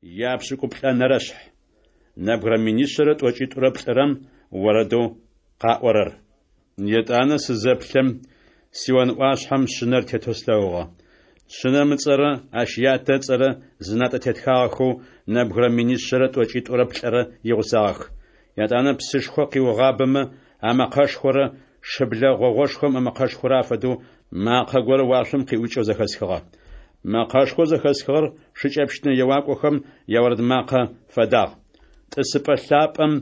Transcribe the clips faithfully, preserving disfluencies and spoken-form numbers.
Япшӏыкӏуплӏэнэрэ шъхь. Нэбгырэ минишъэрэ тӏокӏитӏурэ плӏырэм орэдэу къаӏорэр. Етӏанэ сызэплъэм, Сион ӏуашъхьэм Шъынэр тетэу слъэгъугъэ. Шъынэм ыцӏэрэ ащ Ятэ ыцӏэрэ зынатӏэ тетхагъэхэу нэбгырэ минишъэрэ тӏокӏитӏурэ плӏырэ игъусагъэх. Етӏанэ псышхо къиугъабэмэ амэкъэшхорэ шыблэ гъогъошхом ымэкъэшхорэ афэдэу макъэ горэ уашъом къиӏукӏэу зэхэсхыгъэ. Мэкъэшхоу зэхэсхыгъэр шыкӏэпщынэ еуакӏохэм яорэд макъэ фэдагъ. Тӏысыпӏэ лъапӏэм,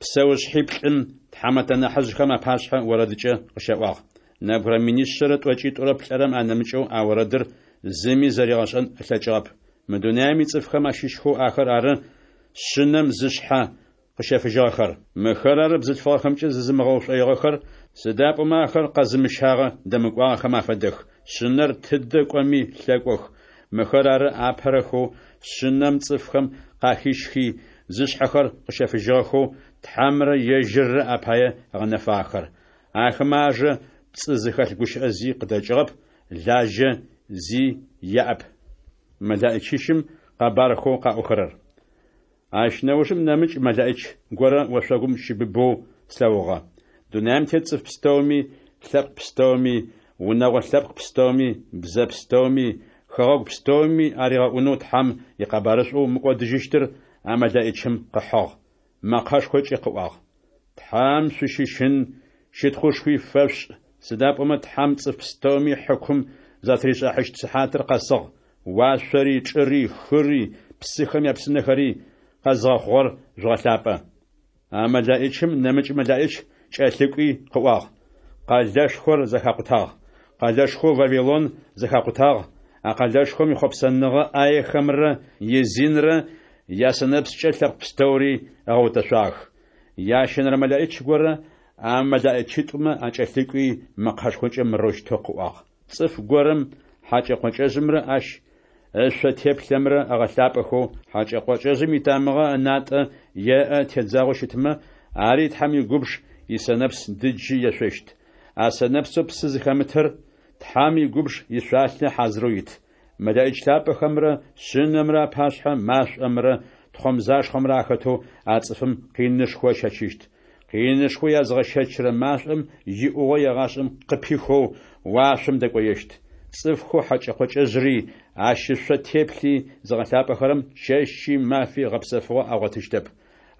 псэушъхьиплӏым, тхьамэтэ нахьыжъхэм апашъхьэ орэдыкӏэ къыщаӏуагъ. Нэбгырэ минишъэрэ тӏокӏитӏурэ плӏырэм анэмыкӏэу а орэдыр зыми зэригъэшӏэн ылъэкӏыгъэп. Мы дунаем ицӏыфхэм ащыщхэу ахэр ары Шъынэм зышъхьэ къыщэфыжьыгъэхэр. Мыхэр ары бзылъфыгъэхэмкӏэ зызымыгъэушӏоигъэхэр, сыда пӏомэ ахэр къэзымыщагъэ дэмыкӏуагъэхэм афэдэх. Шъынэр тыдэ кӏоми лъэкӏох. Мыхэр ары апэрэхэу Шъынэм цӏыфхэм къахищхи, зышъхьэхэр къыщэфыжьыгъэхэу Тхьэмрэ ежьыррэ апае ыгъэнэфагъэхэр. Ахэмэ ажэ пцӏы зыхэлъ гущыӏэ зи къыдэкӏыгъэп, лажьэ зи яӏэп. Мэлэӏичищым къэбархэу къаӏохэрэр. Ащ нэужым нэмыкӏ мэлэӏич горэ ошъогум щыбыбэу слъэгъугъэ. Дунаим тет цӏыф пстэуми, лъэпкъ пстэуми, унэгъо лъэпкъ пстэуми, бзэ пстэуми, хэгъэгу пстэуми аригъэӏунэу Тхьэм икъэбарышӏоу мыкӏодыжьыщтыр а мэлэӏичым къыхьыгъ. Мэкъэшхокӏэ къыӏуагъ: Тхьэм шъущыщын, щытхъушхуи фэшъушӏ, сыда пӏомэ Тхьэм цӏыф пстэуми хьыкум затыришӏыхьащт сыхьатыр къэсыгъ. Уашъори, чӏыри, хыри, псыхэм япсынэхэри къэзгъэхъугъэр жъугъэлъапӏэ. А мэлэӏичым нэмыкӏ мэлэӏич кӏэлъыкӏуи къыӏуагъ: Къэлэшхор зэхакъутагъ! Къэлэшхоу Вавилон зэхакъутагъ! А къэлэшхом ихъопсэныгъэ ӏаехэмрэ изинрэ ясэнэпскӏэ лъэпкъ пстэури ыгъэутэшъуагъэх. Ящэнэрэ мэлэӏич горэ а мэлэӏичитӏумэ акӏэлъыкӏуи, мэкъэшхокӏэ мырэущтэу къыӏуагъ: Цӏыф горэм хьакӏэ-къокӏэжъымрэ ащ ышъо теплъэмрэ ыгъэлъапӏэхэу, хьакӏэ-къокӏэжъым итамыгъэ ынатӏэ е ыӏэ тедзагъэу щытмэ, ари Тхьэм игубж исэнэпс дыджы ешъощт. А сэнэпсэу псы зыхэмытыр Тхьэм игубж ишъуалъэ хьазырэу ит. Мэлэӏич лъапӏэхэмрэ Шъынэмрэ апашъхьэ машӏомрэ тхъомзашхъомрэ ахэтэу а цӏыфым къинышхо ыщэчыщт. Къинышхо язгъэщэчрэ машӏом иӏугъо егъашӏэм къыпихэу уашъом дэкӏоещт. Цӏыфхэу хьакӏэ-къокӏэжъри ащ ышъо теплъи зыгъэлъапӏэхэрэм чэщи мафи гъэпсэфыгъо агъотыщтэп.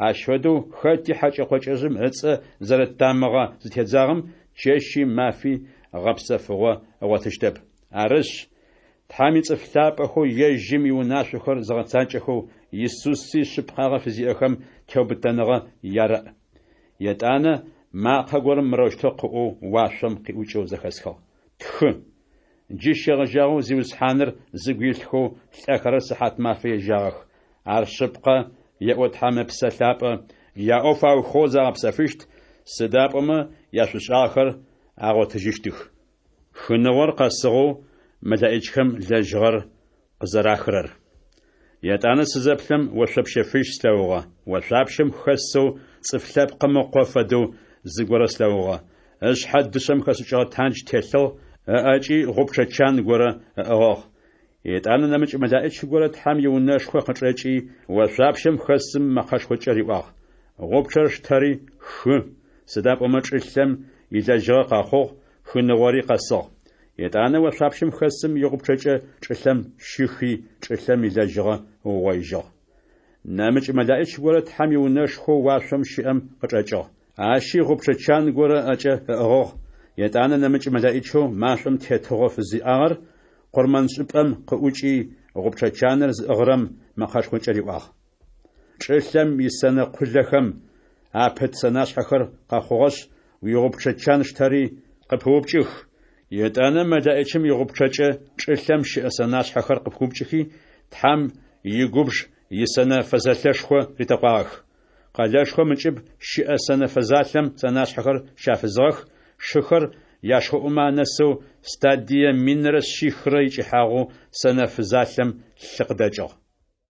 Ащ фэдэу хэти хьакӏэ-къокӏэжъым ыцӏэ зэрыт тамыгъэ зытедзагъэм чэщи мафи гъэпсэфыгъо ыгъотыщтэп. Арышъ, Тхьэм ицӏыф лъапӏэхэу ежьым иунашъохэр зыгъэцакӏэхэу, Исуси шъыпкъагъэ фызиӏэхэм теубытэныгъэ ярэӏ. Етӏанэ макъэ горэм мырэущтэу къыӏоу уашъом къиӏукӏэу зэхэсхыгъ: «Тхы: Джы щегъэжьагъэу Зиусхьаныр зыгу илъхэу лӏэхэрэр сыхьат-мафэ ежьагъэх». Ар шъыпкъэ, еӏо Тхьэм Ыпсэ Лъапӏэ, яӏоф аухыгъэу загъэпсэфыщт, сыда пӏомэ яшӏушӏагъэхэр агъотыжьыщтых. Хыныгъор къэсыгъэу мэлэӏичхэм лэжьыгъэр къызэрахырэр. Етӏанэ сызэплъэм, ошъопщэ фыжь слъэгъугъэ. Ошъуапщэм хэсэу Цӏыф Лъэпкъым Ыкъо фэдэу зыгорэ слъэгъугъэ. Ышъхьэ дышъэм хэшӏыкӏыгъэ тандж телъыгъ, ыӏэкӏи гъупчъэ чан горэ ыӏыгъыгъ. Етӏанэ нэмыкӏ мэлэӏич горэ Тхьэм иунэшхо къычӏэкӏи, ошъуапщэм хэсым мэкъэшхокӏэ риӏуагъ: «Гъупчъэр штэри, хы, сыда пӏомэ чӏылъэм илэжьыгъэ къэхъугъ, хыныгъори къэсыгъ». Етӏанэ ошъуапщэм хэсым игъупчъэкӏэ чӏылъэм щихи, чӏылъэм илэжьыгъэ ыугъоижьыгъ. Нэмыкӏ мэлэӏич горэ Тхьэм иунэшхоу уашъом щыӏэм къычӏэкӏыгъ. Ащи гъупчъэ чан горэ ыӏэкӏэ ыӏыгъыгъ. Етӏанэ нэмыкӏ мэлэӏичэу машӏом тетыгъо фызиӏагъэр къурмэншӏыпӏэм къыӏукӏи, гъупчъэ чаныр зыӏыгъырэм мэкъэшхокӏэ риӏуагъ: «Чӏылъэм исэнэ къулэхэм апыт сэнашъхьэхэр къэхъугъэшъ, уигъупчъэ чан штэри, къыпыупкӏых». Етӏанэ мэлэӏичым игъупчъэкӏэ чӏылъэм щыӏэ сэнашъхьэхэр къыпиупкӏыхи, Тхьэм игубж исэнэ фэзэлъэшхо ритэкъуагъэх. Къэлэшхом ыкӏыб щыӏэ сэнэ фэзалъэм сэнашъхьэхэр щафызыгъэх, шыхэр яшхоӏумэ анэсэу стадие минрэ шъихрэ икӏыхьагъэу сэнэ фызалъэм лъы къыдэкӏыгъ.